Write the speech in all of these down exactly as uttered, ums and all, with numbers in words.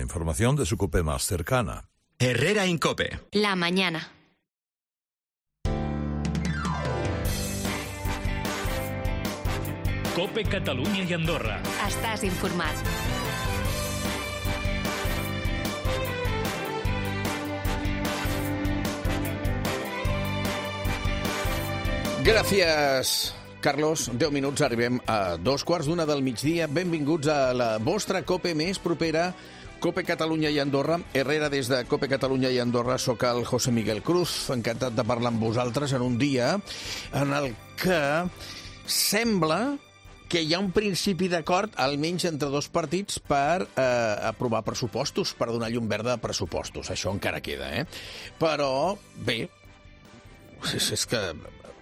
información de su COPE más cercana. Herrera Incope. La mañana. COPE Catalunya i Andorra. Estàs informat. Gràcies, Carlos. deu minuts, arribem a dos quarts d'una del migdia. Benvinguts a la vostra COPE més propera, COPE Catalunya i Andorra. Herrera des de COPE Catalunya i Andorra. Soc el José Miguel Cruz, encantat de parlar amb vosaltres en un dia en el que sembla que hi ha un principi d'acord, almenys entre dos partits, per eh, aprovar pressupostos, per donar llum verda a pressupostos. Això encara queda, eh? Però, bé, és, és que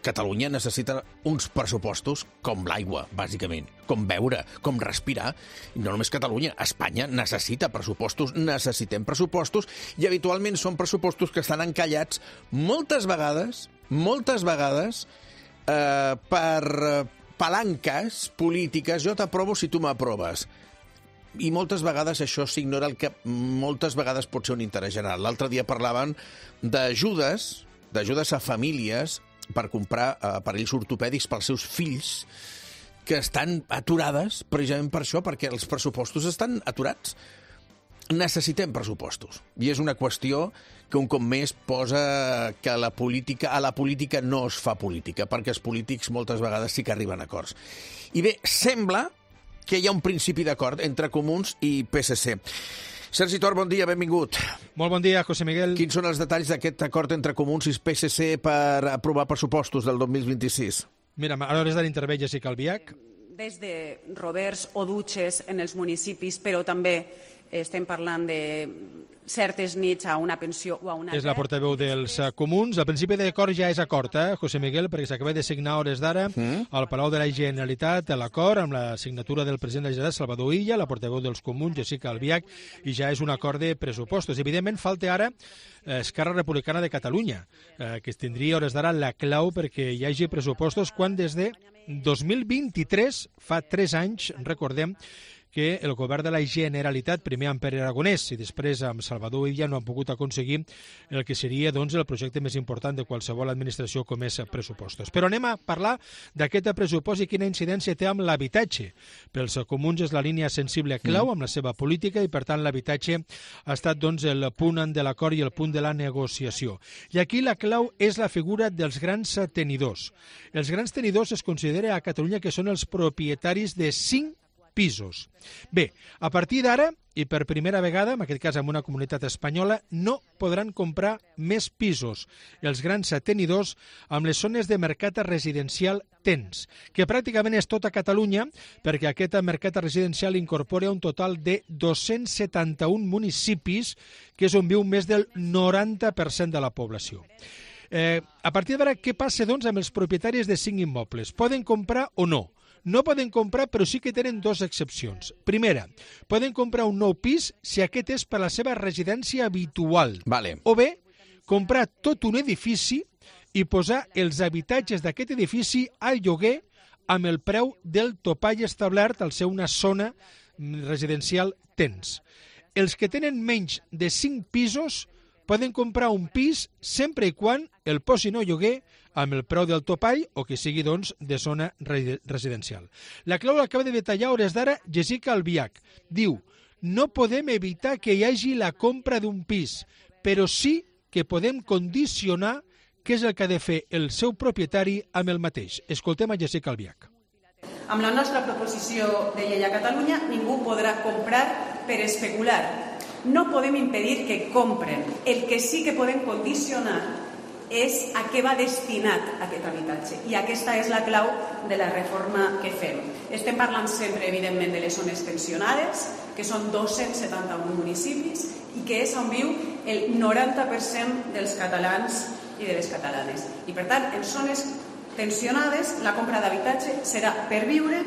Catalunya necessita uns pressupostos com l'aigua, bàsicament, com beure, com respirar. I no només Catalunya, Espanya necessita pressupostos, necessitem pressupostos, i habitualment són pressupostos que estan encallats moltes vegades, moltes vegades, eh, per palanques polítiques. Jo t'aprovo si tu m'aproves. I moltes vegades això s'ignora, el que moltes vegades pot ser un interès general. L'altre dia parlaven d'ajudes, d'ajudes a famílies per comprar aparells ortopèdics pels seus fills, que estan aturades precisament per això, perquè els pressupostos estan aturats. Necessitem pressupostos. I és una qüestió que un cop més posa que la política, a la política no es fa política, perquè els polítics moltes vegades sí que arriben a acords. I bé, sembla que hi ha un principi d'acord entre Comuns i P S C. Sergi Tor, bon dia, benvingut. Molt bon dia, José Miguel. Quins són els detalls d'aquest acord entre Comuns i P S C per aprovar pressupostos del dos mil vint-i-sis? Mira, a l'hores de l'intervé Jessica Albiach. Des de roberts o dutxes en els municipis, però també estem parlant de certes nits a una pensió o a una... És la portaveu dels Comuns. El principi d'acord ja és acord, eh, José Miguel, perquè s'acaba de signar hores d'ara mm. al Palau de la Generalitat l'acord amb la signatura del president de la Generalitat, Salvador Illa, la portaveu dels Comuns, Jessica Albiach, i ja és un acord de pressupostos. Evidentment, falta ara eh, Esquerra Republicana de Catalunya, eh, que tindria hores d'ara la clau perquè hi hagi pressupostos, quan des de dos mil vint-i-tres, fa tres anys, recordem, que el govern de la Generalitat, primer amb Pere Aragonès i després amb Salvador Illa, no han pogut aconseguir el que seria doncs, el projecte més important de qualsevol administració com és pressupostos. Però anem a parlar d'aquest pressupost i quina incidència té amb l'habitatge. Pels Comuns és la línia sensible clau amb la seva política i, per tant, l'habitatge ha estat doncs, el punt de l'acord i el punt de la negociació. I aquí la clau és la figura dels grans tenidors. Els grans tenidors es considera a Catalunya que són els propietaris de cinc pisos. Bé, a partir d'ara, i per primera vegada, en aquest cas en una comunitat espanyola, no podran comprar més pisos els grans tenidors amb les zones de mercat residencial tens, que pràcticament és tota Catalunya, perquè aquest mercat residencial incorpora un total de dos-cents setanta-un municipis, que és on viu més del noranta per cent de la població. Eh, a partir d'ara, què passa doncs amb els propietaris de cinc immobles? Poden comprar o no? No poden comprar, però sí que tenen dues excepcions. Primera, poden comprar un nou pis si aquest és per la seva residència habitual. Vale. O bé, comprar tot un edifici i posar els habitatges d'aquest edifici al lloguer amb el preu del topall establert al ser una zona residencial tens. Els que tenen menys de cinc pisos poden comprar un pis sempre i quan el posin a lloguer amb el preu del topall o que sigui, doncs, de zona residencial. La clau l'acaba de detallar hores d'ara Jessica Albiach. Diu, no podem evitar que hi hagi la compra d'un pis, però sí que podem condicionar què és el que ha de fer el seu propietari amb el mateix. Escoltem a Jessica Albiach. Amb la nostra proposició de llei a Catalunya, ningú podrà comprar per especular. No podem impedir que compren. El que sí que podem condicionar és a què va destinat aquest habitatge. I aquesta és la clau de la reforma que fem. Estem parlant sempre, evidentment, de les zones tensionades, que són dos-cents setanta-un municipis, i que és on viu el noranta per cent dels catalans i de les catalanes. I, per tant, en zones tensionades, la compra d'habitatge serà per viure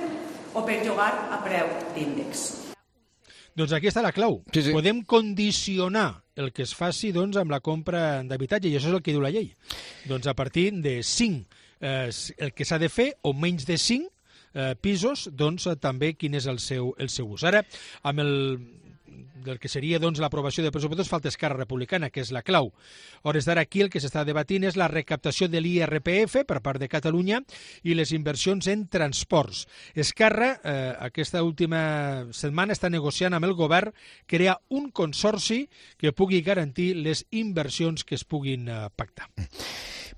o per llogar a preu d'índex. Doncs aquí està la clau. Sí, sí. Podem condicionar el que es faci doncs, amb la compra d'habitatge, i això és el que diu la llei. Doncs a partir de cinc, eh, el que s'ha de fer, o menys de cinc eh, pisos, doncs també quin és el seu, el seu ús. Ara, amb el del que seria doncs, l'aprovació de pressupostos falta Esquerra Republicana, que és la clau. A hores d'ara aquí el que s'està debatint és la recaptació de l'I R P F per part de Catalunya i les inversions en transports. Esquerra, eh, aquesta última setmana, està negociant amb el govern crear un consorci que pugui garantir les inversions que es puguin eh, pactar.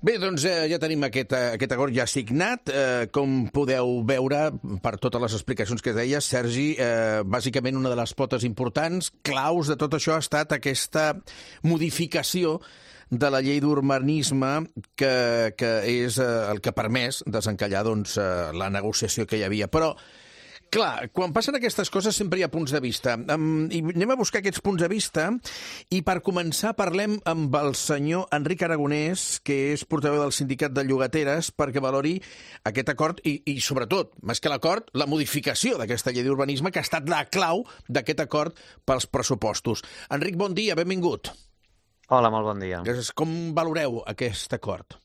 Bé, doncs eh, ja tenim aquest, aquest acord ja signat. Eh, com podeu veure, per totes les explicacions que deies, Sergi, eh, bàsicament una de les potes importants, claus de tot això ha estat aquesta modificació de la llei d'urbanisme que, que és eh, el que ha permès desencallar doncs, eh, la negociació que hi havia. Però clar, quan passen aquestes coses sempre hi ha punts de vista. Um, i anem a buscar aquests punts de vista i per començar parlem amb el senyor Enric Aragonès, que és portaveu del Sindicat de Llogateres, perquè valori aquest acord i, i sobretot, més que l'acord, la modificació d'aquesta llei d'urbanisme que ha estat la clau d'aquest acord pels pressupostos. Enric, bon dia, benvingut. Hola, molt bon dia. Com valoreu aquest acord?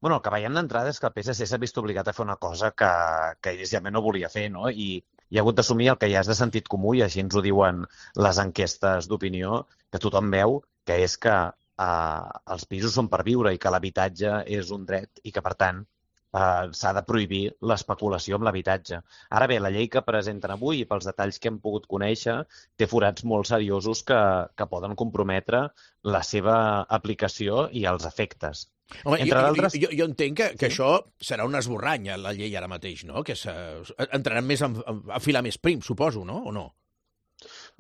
Bueno, el que veiem d'entrada és que el P S C s'ha vist obligat a fer una cosa que, que inicialment no volia fer, no? I, i ha hagut d'assumir el que ja és de sentit comú, i així ens ho diuen les enquestes d'opinió, que tothom veu, que és que eh, els pisos són per viure i que l'habitatge és un dret i que, per tant, eh, s'ha de prohibir l'especulació amb l'habitatge. Ara bé, la llei que presenten avui, i pels detalls que hem pogut conèixer, té forats molt seriosos que, que poden comprometre la seva aplicació i els efectes. Home, Entre jo, d'altres... jo, jo entenc que, que Sí? això serà un esborrany, la llei ara mateix, no? Que entraran més a, a filar més prim, suposo, no? O no?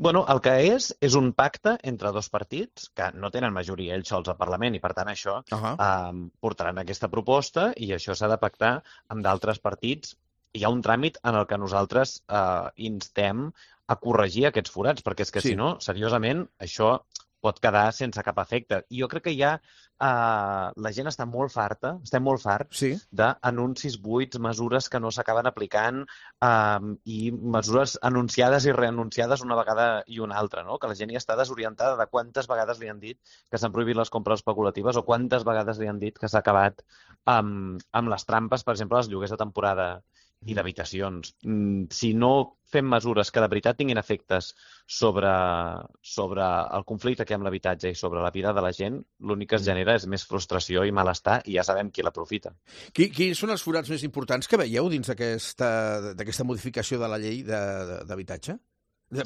Bueno, el que és, és un pacte entre dos partits que no tenen majoria ells sols al Parlament i, per tant, això Uh -huh. eh, portaran aquesta proposta i això s'ha de pactar amb d'altres partits. Hi ha un tràmit en el que nosaltres eh, instem a corregir aquests forats, perquè és que, Sí. si no, seriosament, això pot quedar sense cap efecte. I jo crec que ja eh, la gent està molt farta, estem molt farts, Sí. d'anuncis buits, mesures que no s'acaben aplicant eh, i mesures anunciades i reanunciades una vegada i una altra, no? Que la gent ja està desorientada de quantes vegades li han dit que s'han prohibit les compres especulatives o quantes vegades li han dit que s'ha acabat amb, amb les trampes, per exemple, els lloguers de temporada i d'habitacions. Mm, si no fem mesures que de veritat tinguin efectes sobre, sobre el conflicte que hi ha amb l'habitatge i sobre la vida de la gent, l'únic que es genera és més frustració i malestar, i ja sabem qui l'aprofita. Qui, quins són els forats més importants que veieu dins d'aquesta d'aquesta modificació de la llei d'habitatge?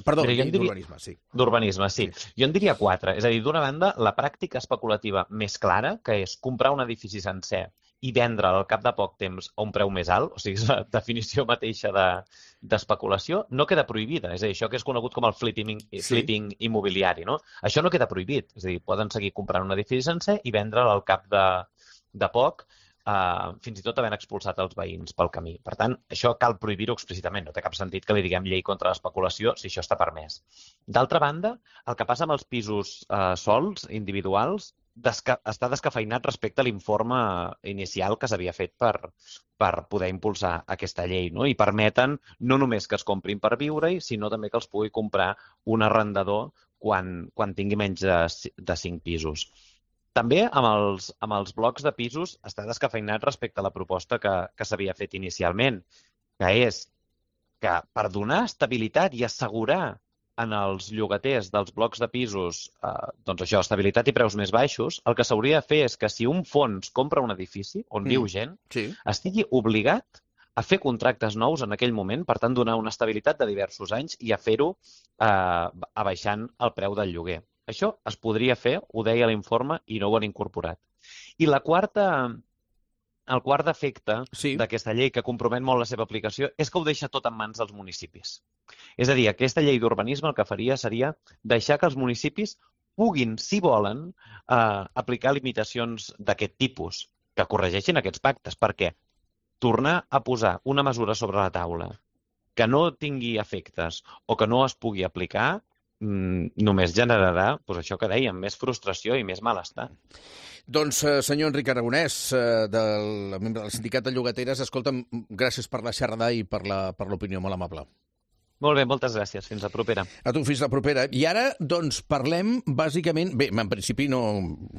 Perdó, Mira, jo llei en diria- d'urbanisme, sí. D'urbanisme, sí. Jo en diria quatre. És a dir, d'una banda, la pràctica especulativa més clara, que és comprar un edifici sencer i vendre'l al cap de poc temps a un preu més alt, o sigui, és la definició mateixa de, d'especulació, no queda prohibida. És a dir, això que és conegut com el flipping, Sí. flipping immobiliari, no? Això no queda prohibit. És a dir, poden seguir comprant un edifici sencer i vendre'l al cap de, de poc, eh, fins i tot havent expulsat els veïns pel camí. Per tant, això cal prohibir-ho explícitament. No té cap sentit que li diguem llei contra l'especulació si això està permès. D'altra banda, el que passa amb els pisos eh, sols, individuals, desca està descafeinat respecte a l'informe inicial que s'havia fet per, per poder impulsar aquesta llei, no? I permeten no només que es comprin per viure-hi, sinó també que els pugui comprar un arrendador quan, quan tingui menys de, de cinc pisos. També amb els, amb els blocs de pisos està descafeinat respecte a la proposta que, que s'havia fet inicialment, que és que per donar estabilitat i assegurar en els llogaters dels blocs de pisos, eh, doncs això, estabilitat i preus més baixos, el que s'hauria de fer és que si un fons compra un edifici on Mm. viu gent, Sí. estigui obligat a fer contractes nous en aquell moment, per tant, donar una estabilitat de diversos anys i a fer-ho eh, abaixant el preu del lloguer. Això es podria fer, ho deia l'informe, i no ho han incorporat. I la quarta, el quart defecte Sí. d'aquesta llei, que compromet molt la seva aplicació, és que ho deixa tot en mans dels municipis. És a dir, aquesta llei d'urbanisme el que faria seria deixar que els municipis puguin, si volen, eh, aplicar limitacions d'aquest tipus, que corregeixin aquests pactes, perquè tornar a posar una mesura sobre la taula que no tingui efectes o que no es pugui aplicar mmm, només generarà, doncs això que dèiem, més frustració i més malestar. Doncs, eh, senyor Enric Aragonès, eh, del membre del Sindicat de Llogateres, escolta'm, gràcies per la xerrada i per la, per l'opinió, molt amable. Molt bé, moltes gràcies. Fins la propera. A tu, fins la propera. I ara, doncs, parlem, bàsicament... Bé, en principi no,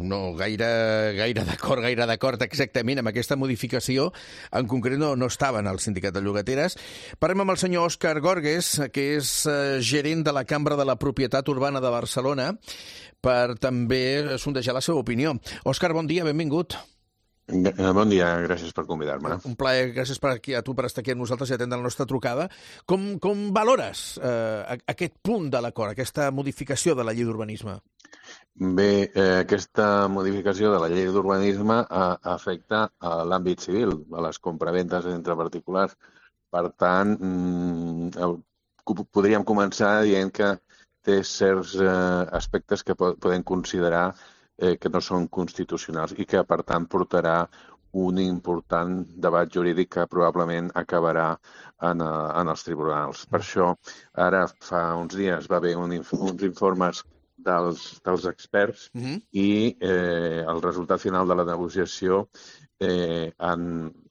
no gaire, gaire d'acord, gaire d'acord exactament amb aquesta modificació. En concret no, no estaven al Sindicat de Llogateres. Parlem amb el senyor Òscar Gorgues, que és eh, gerent de la Cambra de la Propietat Urbana de Barcelona, per també sondejar la seva opinió. Òscar, bon dia, benvingut. Bon dia, gràcies per convidar-me. Un plaer, gràcies per aquí, a tu per estar aquí amb nosaltres i atendre la nostra trucada. Com, com valores eh, aquest punt de l'acord, aquesta modificació de la llei d'urbanisme? Bé, eh, aquesta modificació de la llei d'urbanisme eh, afecta a l'àmbit civil, a les compraventes entre particulars. Per tant, mm, podríem començar dient que té certs eh, aspectes que podem considerar Eh, que no són constitucionals i que, per tant, portarà un important debat jurídic que probablement acabarà en, en els tribunals. Per això, ara fa uns dies va haver un, uns informes dels, dels experts uh-huh. i eh, el resultat final de la negociació eh, en,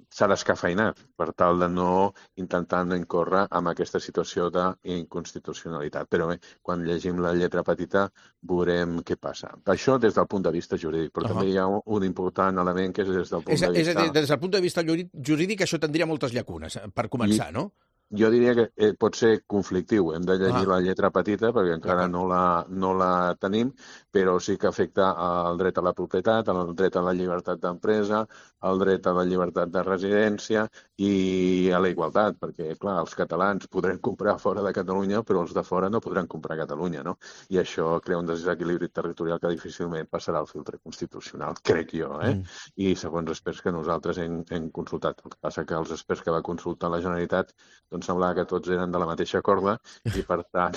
s'ha descafeinat per tal de no intentar no incórrer amb aquesta situació d'inconstitucionalitat. Però bé, quan llegim la lletra petita veurem què passa. Això des del punt de vista jurídic, però uh-huh. també hi ha un important element que és des del punt és, de vista... És a dir, des del punt de vista jurídic això tindria moltes llacunes, per començar, I... no? Jo diria que eh, pot ser conflictiu. Hem de llegir ah. la lletra petita perquè encara no la, no la tenim, però sí que afecta el dret a la propietat, el dret a la llibertat d'empresa, el dret a la llibertat de residència i a la igualtat, perquè, clar, els catalans podran comprar fora de Catalunya, però els de fora no podran comprar a Catalunya, no? I això crea un desequilibri territorial que difícilment passarà al filtre constitucional, crec jo, eh? Mm. I segons experts que nosaltres hem, hem consultat. El que passa que els experts que va consultar la Generalitat doncs semblava que tots eren de la mateixa corda i, per tant,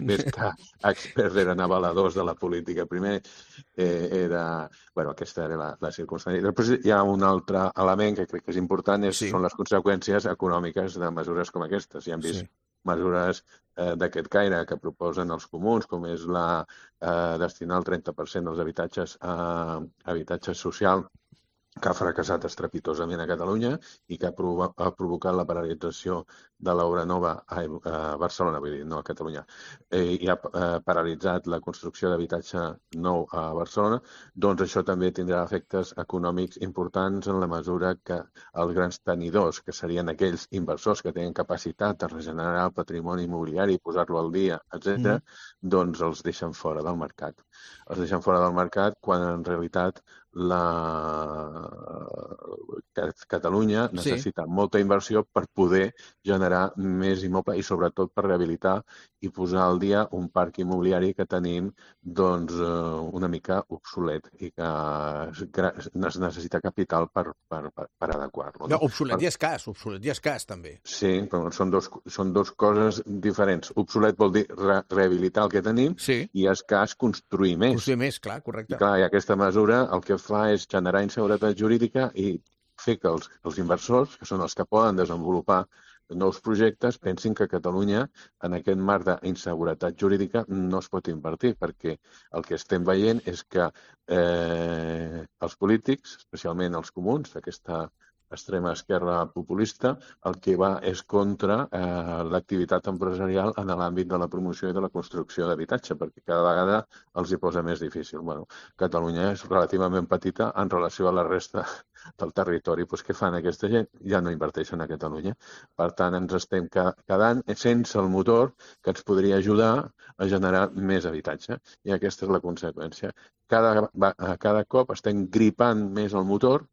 més que experts eren avaladors de la política. Primer eh, era... Bueno, aquesta era la, la circumstància. Després hi ha un altre element que crec que és important, és, sí. són les conseqüències econòmiques de mesures com aquestes. Ja hem vist sí. mesures eh, d'aquest caire que proposen els comuns, com és la eh, destinar el trenta per cent dels habitatges a habitatge social, que ha fracassat estrepitosament a Catalunya i que ha, provo ha provocat la paralització de l'obra nova a, a Barcelona, vull dir, no a Catalunya, eh, i ha eh, paralitzat la construcció d'habitatge nou a Barcelona, doncs això també tindrà efectes econòmics importants en la mesura que els grans tenidors, que serien aquells inversors que tenen capacitat de regenerar el patrimoni immobiliari, posar-lo al dia, etcètera, mm. doncs els deixen fora del mercat. Els deixen fora del mercat quan en realitat la Catalunya necessita sí. molta inversió per poder generar més immoble i sobretot per rehabilitar i posar al dia un parc immobiliari que tenim doncs, una mica obsolet i que necessita capital per, per, per, per adequar-lo. No, obsolet i escàs, obsolet i escàs també. Sí, però són dos, són dos coses diferents. Obsolet vol dir re rehabilitar el que tenim sí. i escàs construir més. Construir més, clar, correcte. I, clar, i aquesta mesura el que fa és generar inseguretat jurídica i fer que els, els inversors, que són els que poden desenvolupar nous projectes, pensin que a Catalunya, en aquest marc d'inseguretat jurídica, no es pot invertir, perquè el que estem veient és que eh, els polítics, especialment els comuns, aquesta extrema esquerra populista, el que va és contra eh, l'activitat empresarial en l'àmbit de la promoció i de la construcció d'habitatge, perquè cada vegada els hi posa més difícil. Bueno, Catalunya és relativament petita en relació a la resta del territori. Pues, què fan aquesta gent? Ja no inverteixen a Catalunya. Per tant, ens estem quedant sense el motor que ens podria ajudar a generar més habitatge. I aquesta és la conseqüència. Cada, cada cop estem gripant més el motor,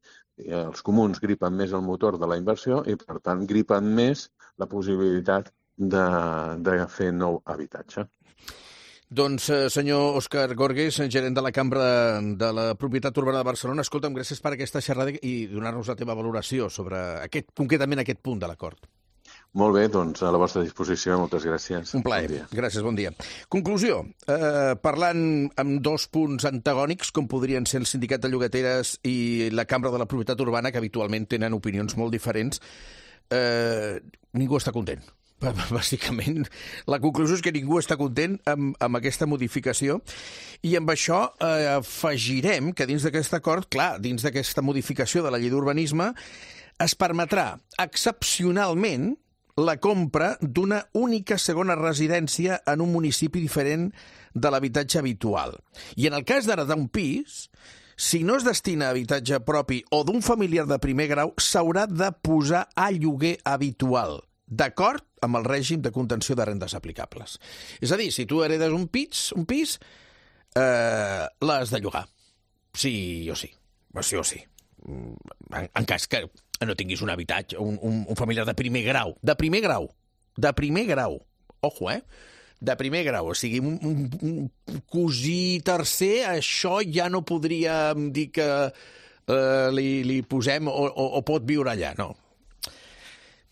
els comuns gripen més el motor de la inversió i, per tant, gripen més la possibilitat de, de fer nou habitatge. Doncs, senyor Òscar Gorgues, gerent de la Cambra de la Propietat Urbana de Barcelona, escolta'm, gràcies per aquesta xerrada i donar-nos la teva valoració sobre aquest, concretament aquest punt de l'acord. Molt bé, doncs a la vostra disposició, moltes gràcies. Un plaer. Bon gràcies, bon dia. Conclusió, eh, parlant amb dos punts antagònics, com podrien ser el Sindicat de Llogateres i la Cambra de la Propietat Urbana, que habitualment tenen opinions molt diferents, eh, ningú està content. Bàsicament, la conclusió és que ningú està content amb, amb aquesta modificació i amb això eh, afegirem que dins d'aquest acord, clar, dins d'aquesta modificació de la llei d'urbanisme, es permetrà excepcionalment la compra d'una única segona residència en un municipi diferent de l'habitatge habitual. I en el cas d'ara d'un pis, si no es destina a habitatge propi o d'un familiar de primer grau, s'haurà de posar a lloguer habitual, d'acord amb el règim de contenció de rendes aplicables. És a dir, si tu heredes un pis, un pis eh, l'has de llogar. Sí o sí. Sí o sí. En, en cas que no tinguis un habitatge, un, un, un familiar de primer grau. De primer grau. De primer grau. Ojo, eh? De primer grau, o sigui, un, un, un cosí tercer, això ja no podríem dir que eh, li, li posem o, o, o pot viure allà, no.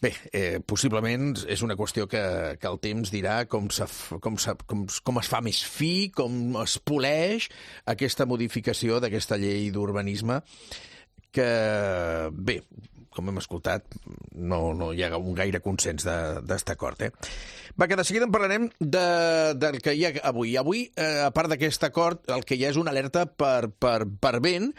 Bé, eh, possiblement és una qüestió que, que el temps dirà com, se, com, se, com, com es fa més fi, com es poleix aquesta modificació d'aquesta llei d'urbanisme que, bé, com hem escoltat, no, no hi ha un gaire consens d'estar d'acord. Eh? Va, que de seguida en parlarem de, del que hi ha avui. Avui, eh, a part d'aquest acord, el que hi ha és una alerta per, per, per vent.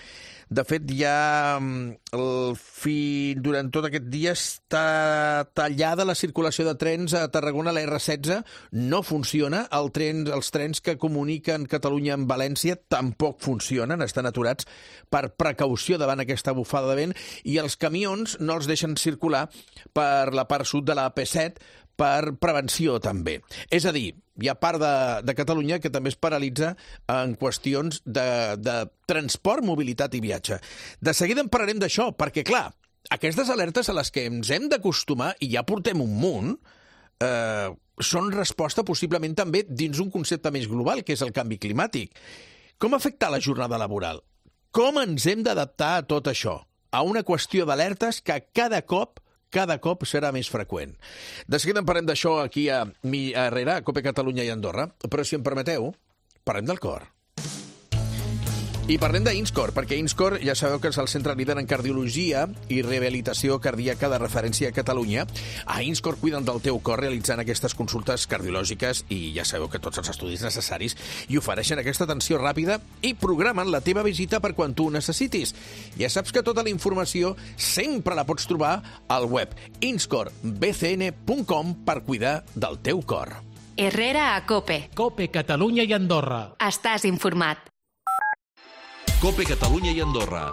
De fet, ja el fi, durant tot aquest dia està tallada la circulació de trens a Tarragona. La erre setze no funciona. El tren, els trens que comuniquen Catalunya amb València tampoc funcionen, estan aturats per precaució davant aquesta bufada de vent, i els camions no els deixen circular per la part sud de la A P set per prevenció també. És a dir, hi ha part de, de Catalunya que també es paralitza en qüestions de, de transport, mobilitat i viatge. De seguida en parlarem d'això, perquè, clar, aquestes alertes a les que ens hem d'acostumar, i ja portem un munt, eh, són resposta possiblement també dins un concepte més global, que és el canvi climàtic. Com afecta la jornada laboral? Com ens hem d'adaptar a tot això? A una qüestió d'alertes que cada cop cada cop serà més freqüent. De seguida en parlem d'això aquí a mi a Herrera, a COPE Catalunya i Andorra, però si em permeteu, parlem del cor. I parlem d'Inscor, perquè Inscor ja sabeu que és el centre líder en cardiologia i rehabilitació cardíaca de referència a Catalunya. A Inscor cuiden del teu cor realitzant aquestes consultes cardiològiques i ja sabeu que tots els estudis necessaris i ofereixen aquesta atenció ràpida i programen la teva visita per quan tu ho necessitis. Ja saps que tota la informació sempre la pots trobar al web inscor b c n punt com per cuidar del teu cor. Herrera a COPE. COPE Catalunya i Andorra. Estàs informat. COPE Catalunya y Andorra.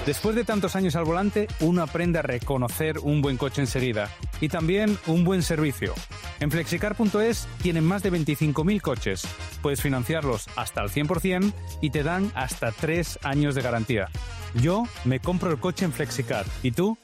Después de tantos años al volante, uno aprende a reconocer un buen coche enseguida y también un buen servicio. En flexicar punto es tienen más de veinticinco mil coches. Puedes financiarlos hasta al cien por ciento y te dan hasta tres años de garantía. Yo me compro el coche en Flexicar. ¿Y tú?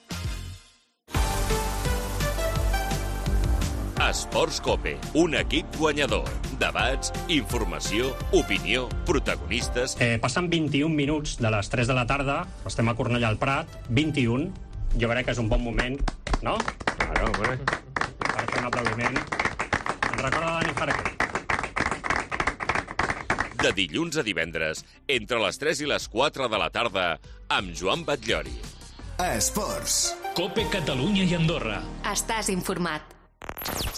Esports COPE, un equip guanyador. Debats, informació, opinió, protagonistes... Eh, passen vint-i-un minuts de les tres de la tarda, estem a Cornellà al Prat, vint-i-un, jo crec que és un bon moment, no? Claro, hombre. Per fer un aplaudiment. Ens recorda Dani Jarque. De dilluns a divendres, entre les tres i les quatre de la tarda, amb Joan Batllori. Esports. COPE Catalunya y Andorra. Estás informat.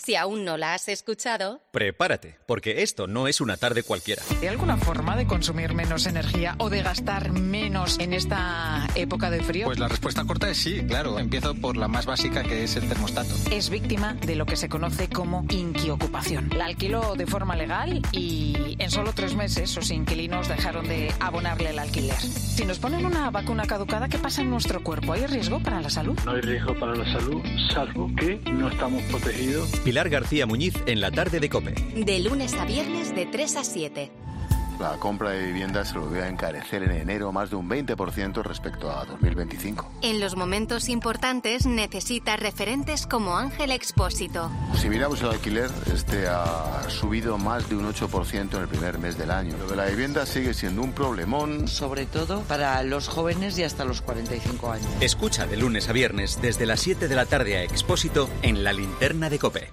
Si aún no la has escuchado... Prepárate, porque esto no es una tarde cualquiera. ¿Hay alguna forma de consumir menos energía o de gastar menos en esta época de frío? Pues la respuesta corta es sí, claro. Empiezo por la más básica, que es el termostato. Es víctima de lo que se conoce como inquiocupación. La alquiló de forma legal y en solo tres meses sus inquilinos dejaron de abonarle el alquiler. Si nos ponen una vacuna caducada, ¿qué pasa en nuestro cuerpo? ¿Hay riesgo para la salud? No hay riesgo para la salud, salvo que no estamos protegidos. Pilar García Muñiz en la tarde de COPE. De lunes a viernes de tres a siete. La compra de viviendas se volvió a encarecer en enero más de un veinte por ciento respecto a dos mil veinticinco. En los momentos importantes necesita referentes como Ángel Expósito. Si miramos el alquiler, este ha subido más de un ocho por ciento en el primer mes del año. Lo de la vivienda sigue siendo un problemón. Sobre todo para los jóvenes y hasta los cuarenta y cinco años. Escucha de lunes a viernes desde las siete de la tarde a Expósito en la linterna de COPE.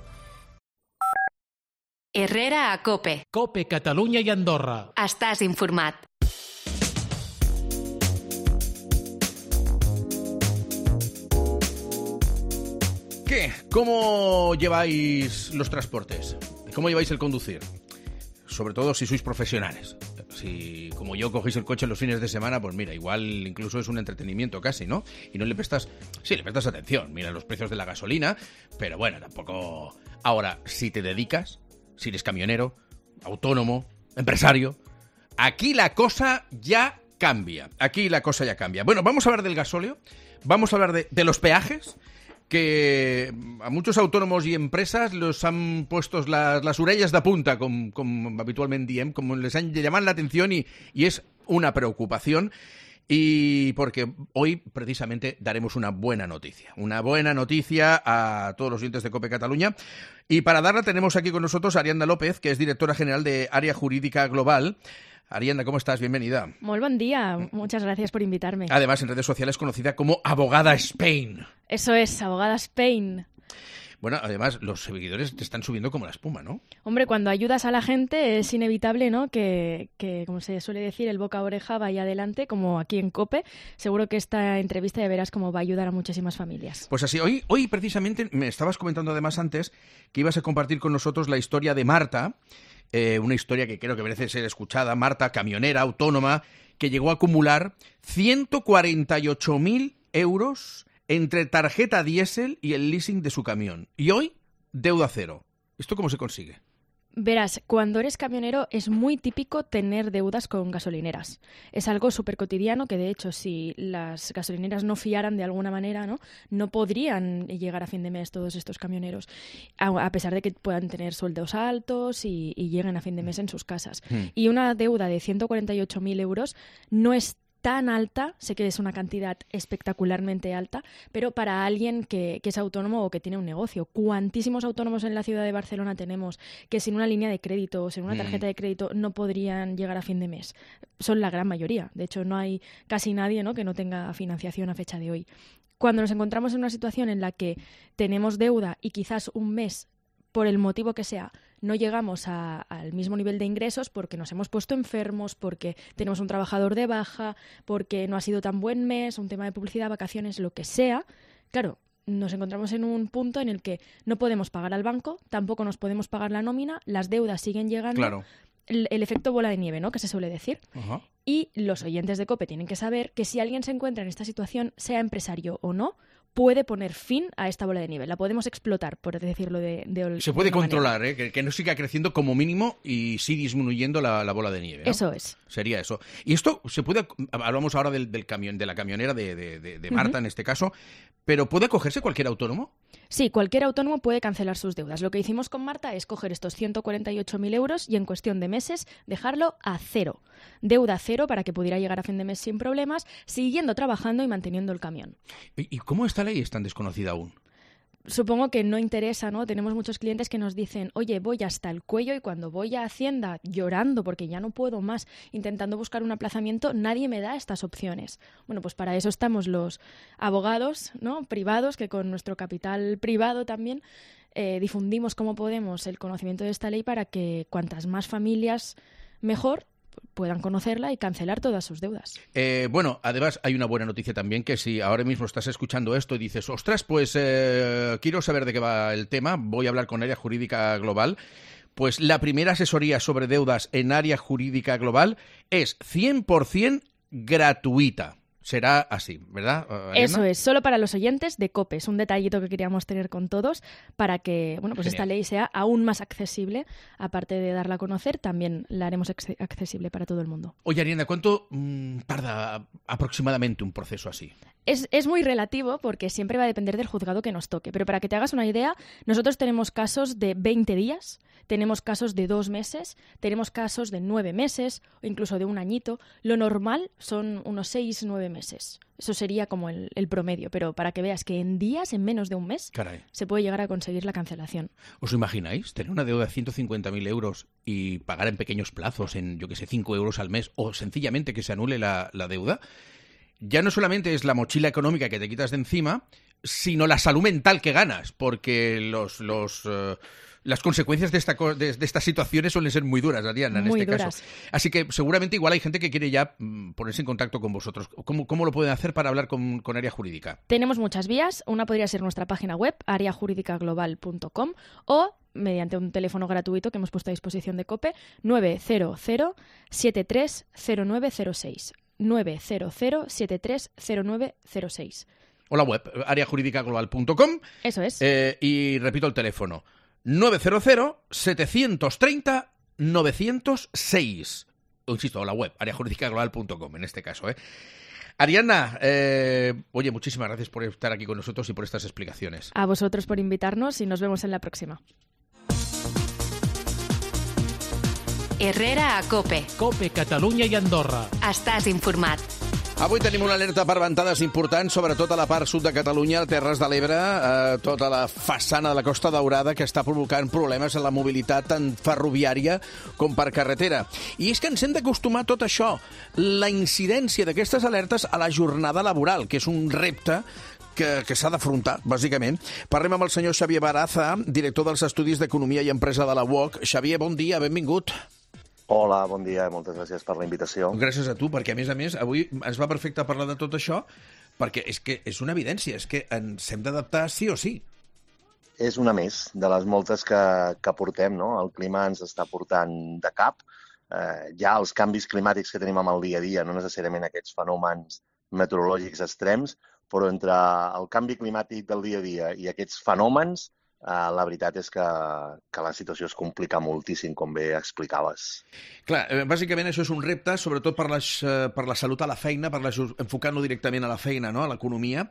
Herrera a COPE. COPE Catalunya i Andorra. Estàs informat. ¿Qué? ¿Cómo lleváis los transportes? ¿Cómo lleváis el conducir? Sobre todo si sois profesionales. si como yo cogéis el coche los fines de semana, pues mira, igual incluso es un entretenimiento casi, ¿no? Y no le prestas, sí, le prestas atención, mira los precios de la gasolina, pero bueno, tampoco... Ahora, si te dedicas, si eres camionero, autónomo, empresario, aquí la cosa ya cambia, aquí la cosa ya cambia. Bueno, vamos a hablar del gasóleo, vamos a hablar de, de los peajes, que a muchos autónomos y empresas los han puesto las, las orelles de punta, com, com habitualment diem, como les han llamado la atención y, y es una preocupación. Y porque hoy precisamente daremos una buena noticia, una buena noticia a todos los oyentes de COPE Cataluña. Y para darla tenemos aquí con nosotros a Arianda López, que es directora general de Área Jurídica Global. Arianda, ¿cómo estás? Bienvenida. Muy buen día, muchas gracias por invitarme. Además, en redes sociales conocida como Abogada Spain. Eso es, Abogada Spain. Bueno, además, los seguidores te están subiendo como la espuma, ¿no? Hombre, cuando ayudas a la gente es inevitable, ¿no? Que, que, como se suele decir, el boca a oreja vaya adelante, como aquí en COPE. Seguro que esta entrevista ya verás cómo va a ayudar a muchísimas familias. Pues así, hoy, hoy precisamente me estabas comentando además antes que ibas a compartir con nosotros la historia de Marta, eh, una historia que creo que merece ser escuchada. Marta, camionera, autónoma, que llegó a acumular ciento cuarenta y ocho mil euros entre tarjeta diésel y el leasing de su camión. Y hoy, deuda cero. ¿Esto cómo se consigue? Verás, cuando eres camionero es muy típico tener deudas con gasolineras. Es algo súper cotidiano que, de hecho, si las gasolineras no fiaran de alguna manera, ¿no? no podrían llegar a fin de mes todos estos camioneros, a pesar de que puedan tener sueldos altos y, y lleguen a fin de mes en sus casas. Hmm. Y una deuda de ciento cuarenta y ocho mil euros no es tan alta, sé que es una cantidad espectacularmente alta, pero para alguien que, que es autónomo o que tiene un negocio. ¿Cuantísimos autónomos en la ciudad de Barcelona tenemos que sin una línea de crédito o sin una tarjeta de crédito no podrían llegar a fin de mes? Son la gran mayoría. De hecho, no hay casi nadie, ¿no?, que no tenga financiación a fecha de hoy. Cuando nos encontramos en una situación en la que tenemos deuda y quizás un mes, por el motivo que sea, no llegamos a, al mismo nivel de ingresos porque nos hemos puesto enfermos, porque tenemos un trabajador de baja, porque no ha sido tan buen mes, un tema de publicidad, vacaciones, lo que sea, claro, nos encontramos en un punto en el que no podemos pagar al banco, tampoco nos podemos pagar la nómina, las deudas siguen llegando, claro. el, el efecto bola de nieve, ¿no?, que se suele decir. Ajá. Y los oyentes de COPE tienen que saber que si alguien se encuentra en esta situación, sea empresario o no, puede poner fin a esta bola de nieve. La podemos explotar, por decirlo de, de Se puede de controlar, ¿eh? que, que no siga creciendo como mínimo y sí disminuyendo la, la bola de nieve, ¿no? Eso es. Sería eso. Y esto se puede... Hablamos ahora del, del camión, de la camionera de, de, de, de Marta, uh-huh. en este caso, pero ¿puede acogerse cualquier autónomo? Sí, cualquier autónomo puede cancelar sus deudas. Lo que hicimos con Marta es coger estos ciento cuarenta y ocho mil euros y en cuestión de meses dejarlo a cero. Deuda cero para que pudiera llegar a fin de mes sin problemas, siguiendo trabajando y manteniendo el camión. ¿Y, y cómo esta ley es tan desconocida aún? Supongo que no interesa, ¿no? Tenemos muchos clientes que nos dicen, oye, voy hasta el cuello y cuando voy a Hacienda llorando porque ya no puedo más, intentando buscar un aplazamiento, nadie me da estas opciones. Bueno, pues para eso estamos los abogados, ¿no?, privados, que con nuestro capital privado también eh, difundimos como podemos el conocimiento de esta ley para que cuantas más familias mejor puedan conocerla y cancelar todas sus deudas. Eh, bueno, además hay una buena noticia también, que si ahora mismo estás escuchando esto y dices, ostras, pues eh, quiero saber de qué va el tema, voy a hablar con Área Jurídica Global, pues la primera asesoría sobre deudas en Área Jurídica Global es cien por ciento gratuita. Será así, ¿verdad, Arianda? Eso es, solo para los oyentes de COPE. Es un detallito que queríamos tener con todos para que, bueno, pues Genial. Esta ley sea aún más accesible. Aparte de darla a conocer, también la haremos accesible para todo el mundo. Oye, Arianda, ¿cuánto mmm, tarda aproximadamente un proceso así? Es, es muy relativo porque siempre va a depender del juzgado que nos toque. Pero para que te hagas una idea, nosotros tenemos casos de veinte días, tenemos casos de dos meses, tenemos casos de nueve meses o incluso de un añito. Lo normal son unos seis, nueve meses. Eso sería como el, el promedio, pero para que veas que en días, en menos de un mes, Caray. se puede llegar a conseguir la cancelación. ¿Os imagináis tener una deuda de ciento cincuenta mil euros y pagar en pequeños plazos, en, yo que sé, cinco euros al mes, o sencillamente que se anule la, la deuda? Ya no solamente es la mochila económica que te quitas de encima, sino la salud mental que ganas, porque los... los uh, las consecuencias de, esta, de, de estas situaciones suelen ser muy duras, Arianda, en muy este duras. caso. Así que seguramente igual hay gente que quiere ya mm, ponerse en contacto con vosotros. ¿Cómo, cómo lo pueden hacer para hablar con, con Área Jurídica? Tenemos muchas vías. Una podría ser nuestra página web, área jurídica global punto com, o mediante un teléfono gratuito que hemos puesto a disposición de COPE, nueve cero cero siete tres cero nueve cero seis. nueve cero cero siete tres cero nueve cero seis. O la web, área jurídica global punto com. Eso es. Eh, y repito el teléfono, nueve cero cero siete tres cero nueve cero seis. Insisto, la web, área jurídica global punto com en este caso, ¿eh? Ariadna, eh, oye, muchísimas gracias por estar aquí con nosotros y por estas explicaciones. A vosotros por invitarnos y nos vemos en la próxima. Herrera a COPE. COPE, Catalunya i Andorra. Estàs informat. Avui tenim una alerta per ventades importants, sobretot a la part sud de Catalunya, a Terres de l'Ebre, eh, tota la façana de la Costa Daurada, que està provocant problemes en la mobilitat tant ferroviària com per carretera. I és que ens hem d'acostumar a tot això, la incidència d'aquestes alertes a la jornada laboral, que és un repte que, que s'ha d'afrontar, bàsicament. Parlem amb el senyor Xavier Baraza, director dels Estudis d'Economia i Empresa de la U O C. Xavier, bon dia, benvingut. Hola, bon dia, moltes gràcies per la invitació. Gràcies a tu, perquè a més a més avui ens va perfecte parlar de tot això, perquè és que és una evidència, és que ens hem d'adaptar sí o sí. És una més de les moltes que, que portem, no? El clima ens està portant de cap. Eh, ja els canvis climàtics que tenim amb el dia a dia, no necessàriament aquests fenòmens meteorològics extrems, però entre el canvi climàtic del dia a dia i aquests fenòmens, Uh, la veritat és que, que la situació es complica moltíssim, com bé explicaves. Clar, eh, bàsicament això és un repte, sobretot per, les, eh, per la salut a la feina, per la, enfocant-lo directament a la feina, no? A l'economia.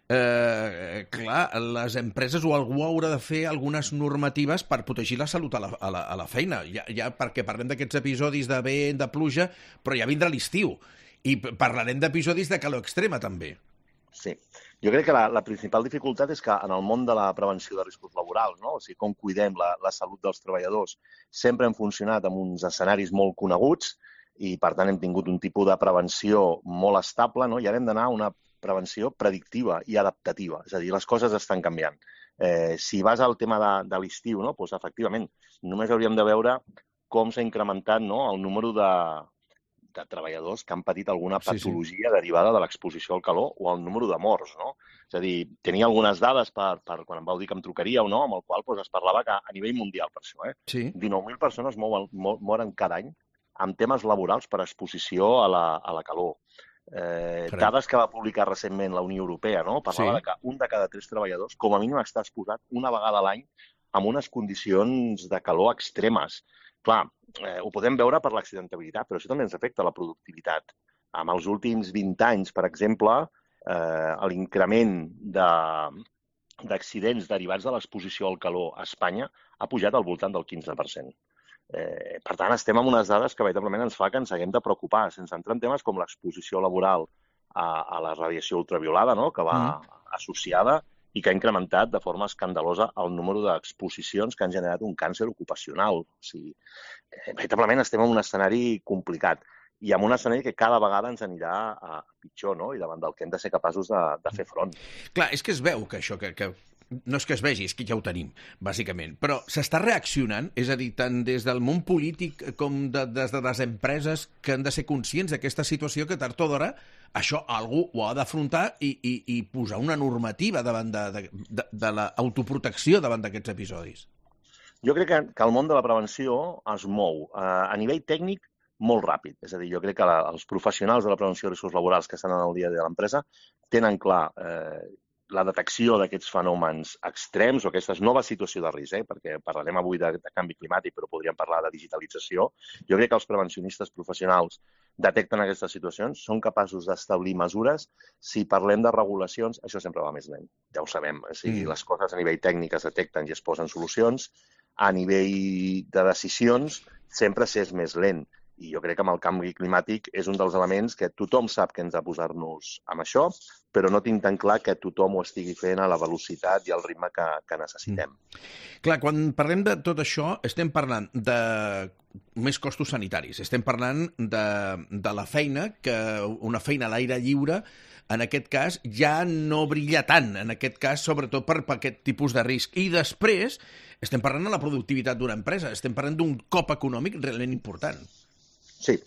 Eh, clar, les empreses o algú haurà de fer algunes normatives per protegir la salut a la, a la, a la feina, ja, ja perquè parlem d'aquests episodis de vent, de pluja, però ja vindrà l'estiu. I parlarem d'episodis de calor extrema, també. Sí. Jo crec que la, la principal dificultat és que en el món de la prevenció de riscos laborals, no? O sigui, com cuidem la, la salut dels treballadors, sempre hem funcionat amb uns escenaris molt coneguts i, per tant, hem tingut un tipus de prevenció molt estable, no? I ara hem d'anar a una prevenció predictiva i adaptativa. És a dir, les coses estan canviant. Eh, si vas al tema de, de l'estiu, no? Doncs, efectivament, només hauríem de veure com s'ha incrementat, no? El número de... de treballadors que han patit alguna patologia sí, sí. derivada de l'exposició al calor o el número de morts, no? És a dir, tenia algunes dades per, per quan em vau dir que em trucaríeu, no? Amb el qual doncs, es parlava que a nivell mundial, per això, eh? Sí. dinou mil persones mouen, moren cada any amb temes laborals per exposició a la, a la calor. Eh, dades que va publicar recentment la Unió Europea, no? Parlava sí. de que un de cada tres treballadors, com a mínim, està exposat una vegada a l'any amb unes condicions de calor extremes. Clar, eh, ho podem veure per l'accidentabilitat, però això també ens afecta la productivitat. En els últims vint anys, per exemple, eh, l'increment de, d'accidents derivats de l'exposició al calor a Espanya ha pujat al voltant del quinze per cent. Eh, per tant, estem amb unes dades que veritablement ens fa que ens haguem de preocupar, sense entrar en temes com l'exposició laboral a, a la radiació ultraviolada, no?, que va mm. associada i que ha incrementat de forma escandalosa el número d'exposicions que han generat un càncer ocupacional. O sigui, eh, veritablement estem en un escenari complicat i en un escenari que cada vegada ens anirà a pitjor, no? I davant del que hem de ser capaços de, de fer front. Clar, és que es veu que això, que, que no és que es vegi, és que ja ho tenim, bàsicament. Però s'està reaccionant, és a dir, tant des del món polític com de, des de les empreses que han de ser conscients d'aquesta situació que tard o d'hora això algú ho ha d'afrontar i, i, i posar una normativa davant de, de, de, de l'autoprotecció davant d'aquests episodis. Jo crec que, que el món de la prevenció es mou eh, a nivell tècnic molt ràpid. És a dir, jo crec que la, els professionals de la prevenció de riscos laborals que estan en el dia a dia de l'empresa tenen clar eh, la detecció d'aquests fenòmens extrems o aquesta nova situació de risc, eh, perquè parlarem avui de, de canvi climàtic, però podríem parlar de digitalització. Jo crec que els prevencionistes professionals detecten aquestes situacions, són capaços d'establir mesures. Si parlem de regulacions, això sempre va més lent, ja ho sabem. O sigui, mm. les coses a nivell tècnic es detecten i es posen solucions. A nivell de decisions, sempre s'és més lent. I jo crec que amb el canvi climàtic és un dels elements que tothom sap que hem de posar-nos amb això, però no tinc tan clar que tothom ho estigui fent a la velocitat i al ritme que, que necessitem. Mm. Clar, quan parlem de tot això, estem parlant de més costos sanitaris, estem parlant de, de la feina, que una feina a l'aire lliure, en aquest cas, ja no brilla tant, en aquest cas, sobretot per, per aquest tipus de risc. I després, estem parlant de la productivitat d'una empresa, estem parlant d'un cop econòmic realment important. Sí.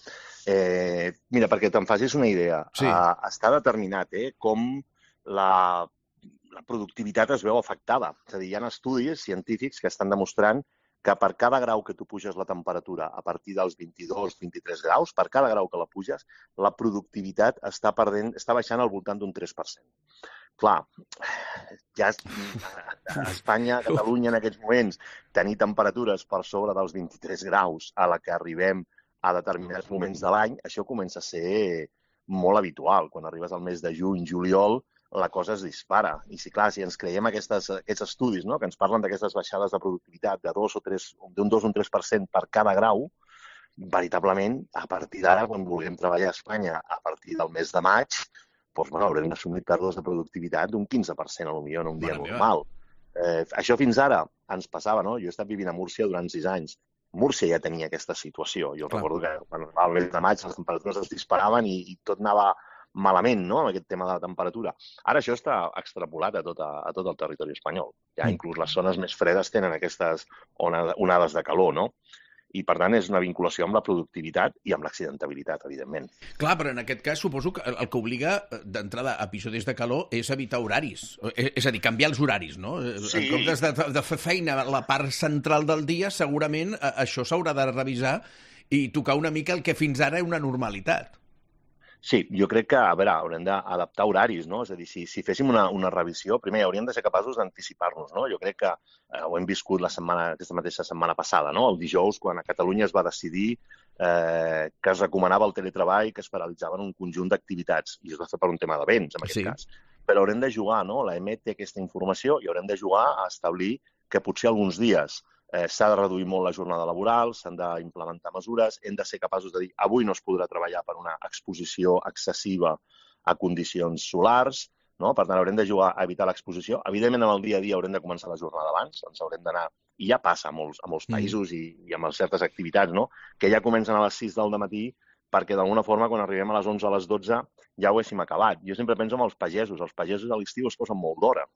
Eh, mira, perquè te'n facis una idea, sí. eh, està determinat eh, com la, la productivitat es veu afectada. És a dir, hi ha estudis científics que estan demostrant que per cada grau que tu puges la temperatura a partir dels vint-i-dos vint-i-tres graus, per cada grau que la puges, la productivitat està perdent, està baixant al voltant d'un tres per cent. Clar, ja a Espanya, a Catalunya en aquests moments, tenir temperatures per sobre dels vint-i-tres graus a la que arribem a determinats moments de l'any, això comença a ser molt habitual. Quan arribes al mes de juny, juliol, la cosa es dispara. I si, clar, si ens creiem aquestes, aquests estudis, no?, que ens parlen d'aquestes baixades de productivitat de dos o tres, d'un dos o un tres per cent per cada grau, veritablement, a partir d'ara, quan vulguem treballar a Espanya a partir del mes de maig, doncs, bueno, haurem d'assumir pèrdues de productivitat d'un quinze per cent, potser en un dia bueno, normal. Eh, això fins ara ens passava, no? Jo he estat vivint a Múrcia durant sis anys. Múrcia ja tenia aquesta situació. Jo Clar. recordo que quan al mes de maig les temperatures es disparaven i, i tot anava malament, no?, amb aquest tema de la temperatura. Ara això està extrapolat a tot, a, a tot el territori espanyol. Ja mm. inclús les zones més fredes tenen aquestes onades de calor, no? I, per tant, és una vinculació amb la productivitat i amb l'accidentabilitat, evidentment. Clar, però en aquest cas suposo que el que obliga d'entrada a episodis de calor és evitar horaris. És a dir, canviar els horaris, no? Sí. En comptes de, de fer feina a la part central del dia, segurament això s'haurà de revisar i tocar una mica el que fins ara és una normalitat. Sí, jo crec que, a veure, haurem d'adaptar horaris, no? És a dir, si, si féssim una, una revisió, primer hauríem de ser capaços d'anticipar-nos, no? Jo crec que eh, ho hem viscut la setmana, aquesta mateixa setmana passada, no? El dijous, quan a Catalunya es va decidir eh, que es recomanava el teletreball, que es paralitzaven un conjunt d'activitats, i es va fer per un tema de béns, en aquest sí. cas. Però haurem de jugar, no? La E M E té aquesta informació i haurem de jugar a establir que potser alguns dies Eh, s'ha de reduir molt la jornada laboral, s'han d'implementar mesures, hem de ser capaços de dir avui no es podrà treballar per una exposició excessiva a condicions solars, no? Per tant, haurem de jugar a evitar l'exposició. Evidentment, en el dia a dia haurem de començar la jornada abans, ens haurem d'anar, i ja passa a molts, a molts països mm. i, i amb certes activitats, no?, que ja comencen a les sis del matí perquè d'alguna forma quan arribem a les onze o a les dotze ja ho haguéssim acabat. Jo sempre penso en els pagesos. Els pagesos a l'estiu es posen molt d'hora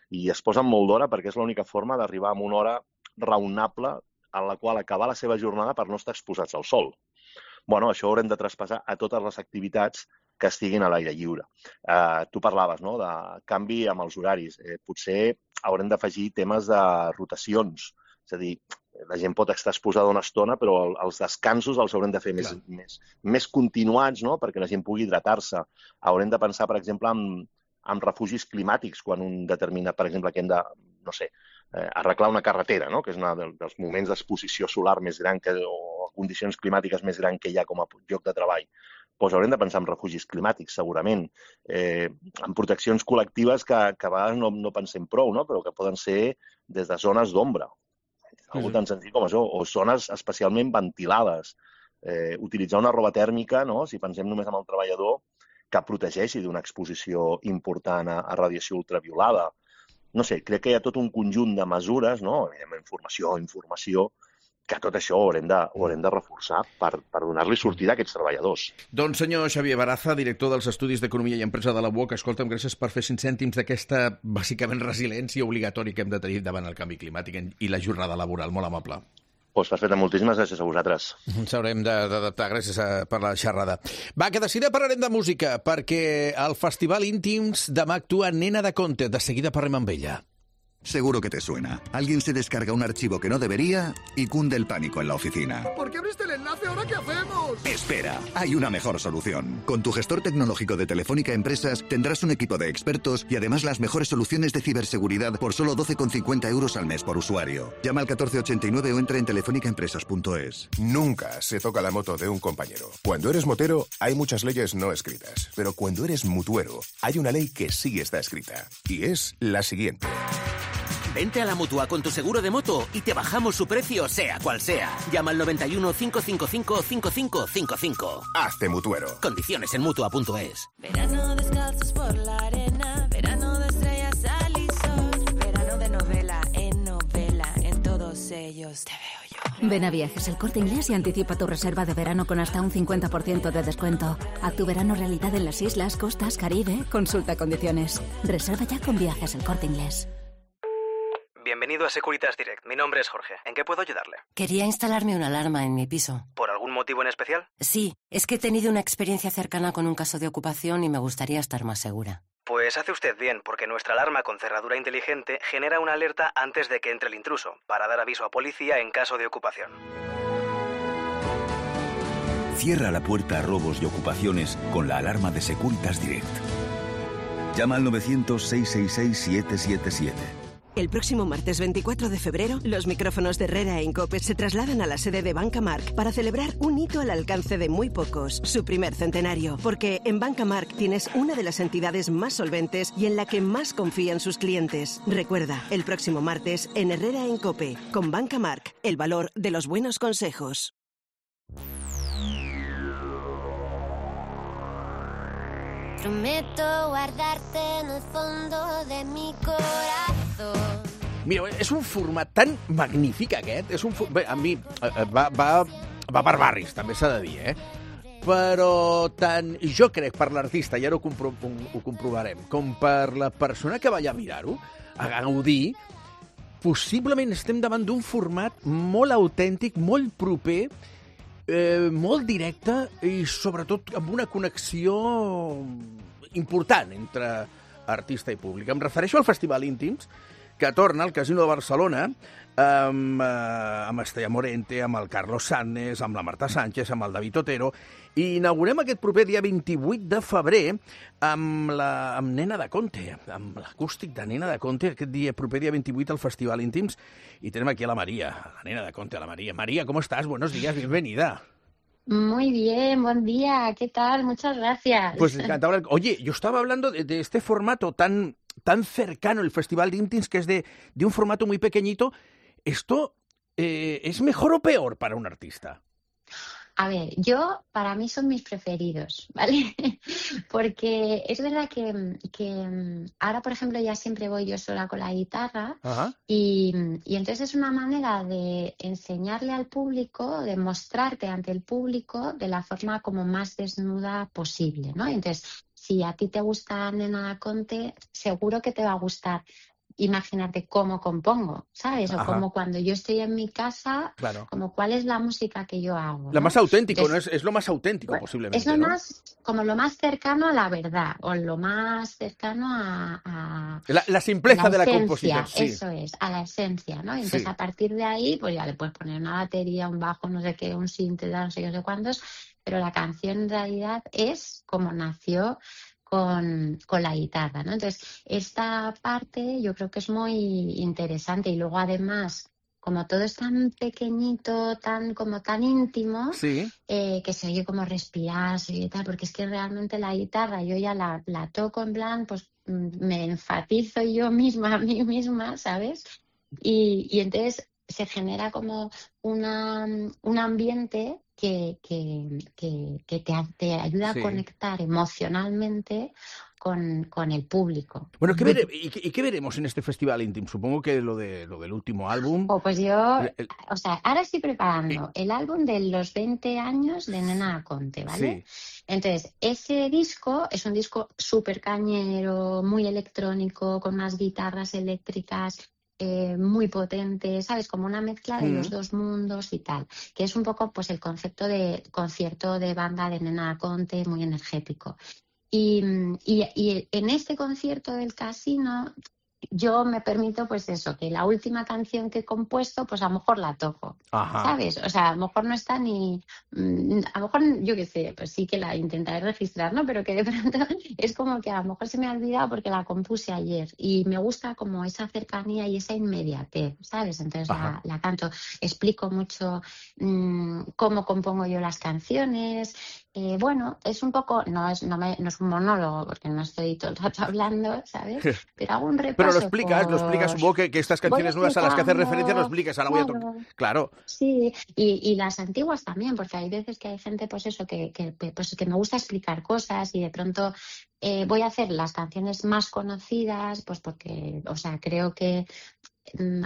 i es posen molt d'hora perquè és l'única forma d'arribar a una hora raonable en la qual acabar la seva jornada per no estar exposats al sol. Bueno, això haurem de traspassar a totes les activitats que estiguin a l'aire lliure. Eh, tu parlaves, no?, de canvi amb els horaris. Eh, potser haurem d'afegir temes de rotacions. És a dir, la gent pot estar exposada una estona, però els descansos els haurem de fer més, més, més continuats, no?, perquè la gent pugui hidratar-se. Haurem de pensar, per exemple, en, en refugis climàtics, quan un determina, per exemple, que hem de, no sé, eh, arreglar una carretera, no?, que és un dels moments d'exposició solar més gran que, o condicions climàtiques més gran que hi ha com a lloc de treball. Doncs haurem de pensar en refugis climàtics, segurament, eh, en proteccions col·lectives que, que a vegades no, no pensem prou, no?, però que poden ser des de zones d'ombra, algo tan senzill com això, o zones especialment ventilades. Eh, utilitzar una roba tèrmica, no?, si pensem només en el treballador, que protegeixi d'una exposició important a, a radiació ultraviolada. No sé, crec que hi ha tot un conjunt de mesures, no?, informació, informació, que tot això ho haurem de, ho haurem de reforçar per, per donar-li sortida a aquests treballadors. Doncs senyor Xavier Baraza, director dels Estudis d'Economia i Empresa de la U O C, escolta'm, gràcies per fer cinc cèntims d'aquesta, bàsicament, resiliència obligatòria que hem de tenir davant el canvi climàtic i la jornada laboral. Molt amable. Doncs perfecte, moltíssimes gràcies a vosaltres. Ens haurem d'adaptar, gràcies a, per la xerrada. Va, que de seguida parlarem de música, perquè al Festival Íntims demà actua Nena de Conte. De seguida parlem amb ella. Seguro que te suena. Alguien se descarga un archivo que no debería y cunde el pánico en la oficina. ¿Por qué abriste el enlace? ¿Ahora qué hacemos? Espera, hay una mejor solución. Con tu gestor tecnológico de Telefónica Empresas tendrás un equipo de expertos y además las mejores soluciones de ciberseguridad por solo doce con cincuenta euros al mes por usuario. Llama al catorce ochenta y nueve o entra en telefónica empresas punto es. Nunca se toca la moto de un compañero. Cuando eres motero hay muchas leyes no escritas, pero cuando eres mutuero hay una ley que sí está escrita y es la siguiente. Vente a la Mutua con tu seguro de moto y te bajamos su precio, sea cual sea. Llama al noventa y uno, cinco cinco cinco, cinco cinco cinco cinco. Hazte mutuero. Condiciones en mutua punto es. Verano descalzos por la arena, verano de estrellas al y sol, verano de novela en novela, en todos ellos te veo yo. Ven a Viajes El Corte Inglés y anticipa tu reserva de verano con hasta un cincuenta por ciento de descuento. Haz tu verano realidad en las islas, costas, Caribe. Consulta condiciones. Reserva ya con Viajes El Corte Inglés. Bienvenido a Securitas Direct. Mi nombre es Jorge. ¿En qué puedo ayudarle? Quería instalarme una alarma en mi piso. ¿Por algún motivo en especial? Sí, es que he tenido una experiencia cercana con un caso de ocupación y me gustaría estar más segura. Pues hace usted bien, porque nuestra alarma con cerradura inteligente genera una alerta antes de que entre el intruso, para dar aviso a policía en caso de ocupación. Cierra la puerta a robos y ocupaciones con la alarma de Securitas Direct. Llama al novecientos, seiscientos sesenta y seis, siete siete siete. El próximo martes veinticuatro de febrero, los micrófonos de Herrera en COPE se trasladan a la sede de Banca Marc para celebrar un hito al alcance de muy pocos, su primer centenario. Porque en Banca Marc tienes una de las entidades más solventes y en la que más confían sus clientes. Recuerda, el próximo martes en Herrera en COPE, con Banca Marc, el valor de los buenos consejos. Prometo guardarte en el fondo de mi corazón. Mira, és un format tan magnífic aquest, és un for... Bé, a mi va, va, va per barris, també s'ha de dir, eh? Però tant jo crec per l'artista, i ara ho, compro... ho comprovarem, com per la persona que va allà a mirar-ho, a gaudir, possiblement estem davant d'un format molt autèntic, molt proper, eh, molt directe i sobretot amb una connexió important entre artista i públic. Em refereixo al Festival Íntims, que torna al Casino de Barcelona amb, eh, amb Estella Morente, amb el Carlos Sanz, amb la Marta Sánchez, amb el David Otero, i inaugurem aquest proper dia vint-i-vuit de febrer amb, la, amb Nena de Conte, amb l'acústic de Nena de Conte, aquest dia, proper dia vint-i-vuit al Festival Íntims, i tenem aquí a la María, la Nena de Conte, a la María. María, ¿cómo estás? Buenos días, bienvenida. Muy bien, buen día, ¿qué tal? Muchas gracias. Pues encantado. Oye, yo estaba hablando de, de este formato tan, tan cercano, el Festival de Íntims, que es de, de un formato muy pequeñito. ¿Esto eh, es mejor o peor para un artista? A ver, yo, para mí son mis preferidos, ¿vale? Porque es verdad que, que ahora, por ejemplo, ya siempre voy yo sola con la guitarra. Ajá. Y, y entonces es una manera de enseñarle al público, de mostrarte ante el público de la forma como más desnuda posible, ¿no? Entonces, si a ti te gusta Nena Conte, seguro que te va a gustar imaginarte cómo compongo, ¿sabes? O Ajá. como cuando yo estoy en mi casa, claro. como cuál es la música que yo hago, ¿no? La más auténtico, Entonces, ¿no? Es, es lo más auténtico pues, posiblemente, Es lo ¿no? más, como lo más cercano a la verdad, o lo más cercano a... a la, la simpleza la de la esencia, composición, sí. Eso es, a la esencia, ¿no? Entonces sí. a partir de ahí, pues ya le puedes poner una batería, un bajo, no sé qué, un synth, no sé qué, no sé cuántos, pero la canción en realidad es como nació Con, con la guitarra, ¿no? Entonces, esta parte yo creo que es muy interesante y luego además, como todo es tan pequeñito, tan como tan íntimo, sí. eh, que se oye como respirar, se oye tal, porque es que realmente la guitarra yo ya la, la toco en plan, pues me enfatizo yo misma a mí misma, ¿sabes? Y, y entonces se genera como una, un ambiente que, que, que, que te, te ayuda sí. a conectar emocionalmente con, con el público. Bueno, ¿qué vere, y, ¿y qué veremos en este Festival Íntim? Supongo que lo, de, lo del último álbum. Oh, pues yo, el, el... o sea, ahora estoy preparando el álbum de los veinte años de Nena Conte, ¿vale? Sí. Entonces, ese disco es un disco súper cañero, muy electrónico, con unas guitarras eléctricas, Eh, muy potente, ¿sabes? Como una mezcla de mm. los dos mundos y tal, que es un poco pues el concepto de concierto de banda de Nena Conte, muy energético. Y, y, y en este concierto del Casino yo me permito pues eso, que la última canción que he compuesto pues a lo mejor la toco, Ajá. ¿sabes? O sea, a lo mejor no está ni... A lo mejor, yo qué sé, pues sí que la intentaré registrar, ¿no? Pero que de pronto es como que a lo mejor se me ha olvidado porque la compuse ayer y me gusta como esa cercanía y esa inmediatez, ¿sabes? Entonces la, la canto, explico mucho mmm, cómo compongo yo las canciones. Eh, bueno, es un poco, no es, no, me, no es un monólogo porque no estoy todo el rato hablando, ¿sabes? Pero hago un repaso. Pero lo explicas, por... lo explicas, supongo que, que estas canciones nuevas a las que haces referencia lo explicas, ahora claro. voy a tocar. Claro. Sí, y, y las antiguas también, porque hay veces que hay gente, pues eso, que, que, pues, que me gusta explicar cosas y de pronto eh, voy a hacer las canciones más conocidas, pues porque, o sea, creo que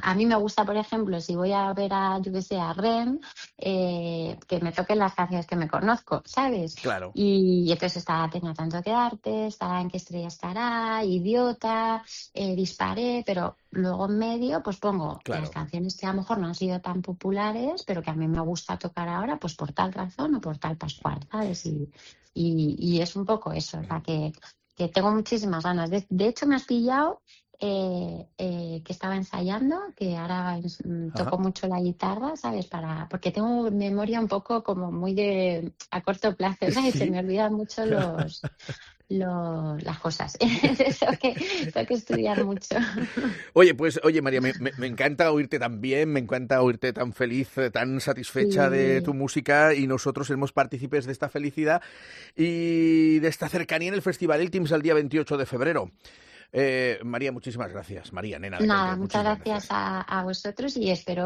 a mí me gusta, por ejemplo, si voy a ver a, yo que sé, a Rem, eh, que me toquen las canciones que me conozco, ¿sabes? Claro. Y, y entonces está Tenía tanto que darte, está En qué estrella estará, Idiota, eh, Disparé, pero luego en medio pues pongo claro. las canciones que a lo mejor no han sido tan populares, pero que a mí me gusta tocar ahora, pues por tal razón o por tal pascual, ¿sabes? Y, y, y es un poco eso, para que... que tengo muchísimas ganas. De, de hecho, me has pillado eh, eh, que estaba ensayando, que ahora mm, toco Ajá. mucho la guitarra, ¿sabes? Para, porque tengo memoria un poco como muy de a corto plazo, ¿sabes? Sí. Se me olvidan mucho los, los las cosas. Entonces tengo que, tengo que estudiar mucho. Oye, pues, oye, María, me, me, me encanta oírte tan bien, me encanta oírte tan feliz, eh, tan satisfecha Sí. de tu música, y nosotros seremos partícipes de esta felicidad y de esta cercanía en el Festival Iltims el día veintiocho de febrero. Eh, María, muchísimas gracias. María, nena de Nada, Canter, muchas muchísimas gracias a, a vosotros y espero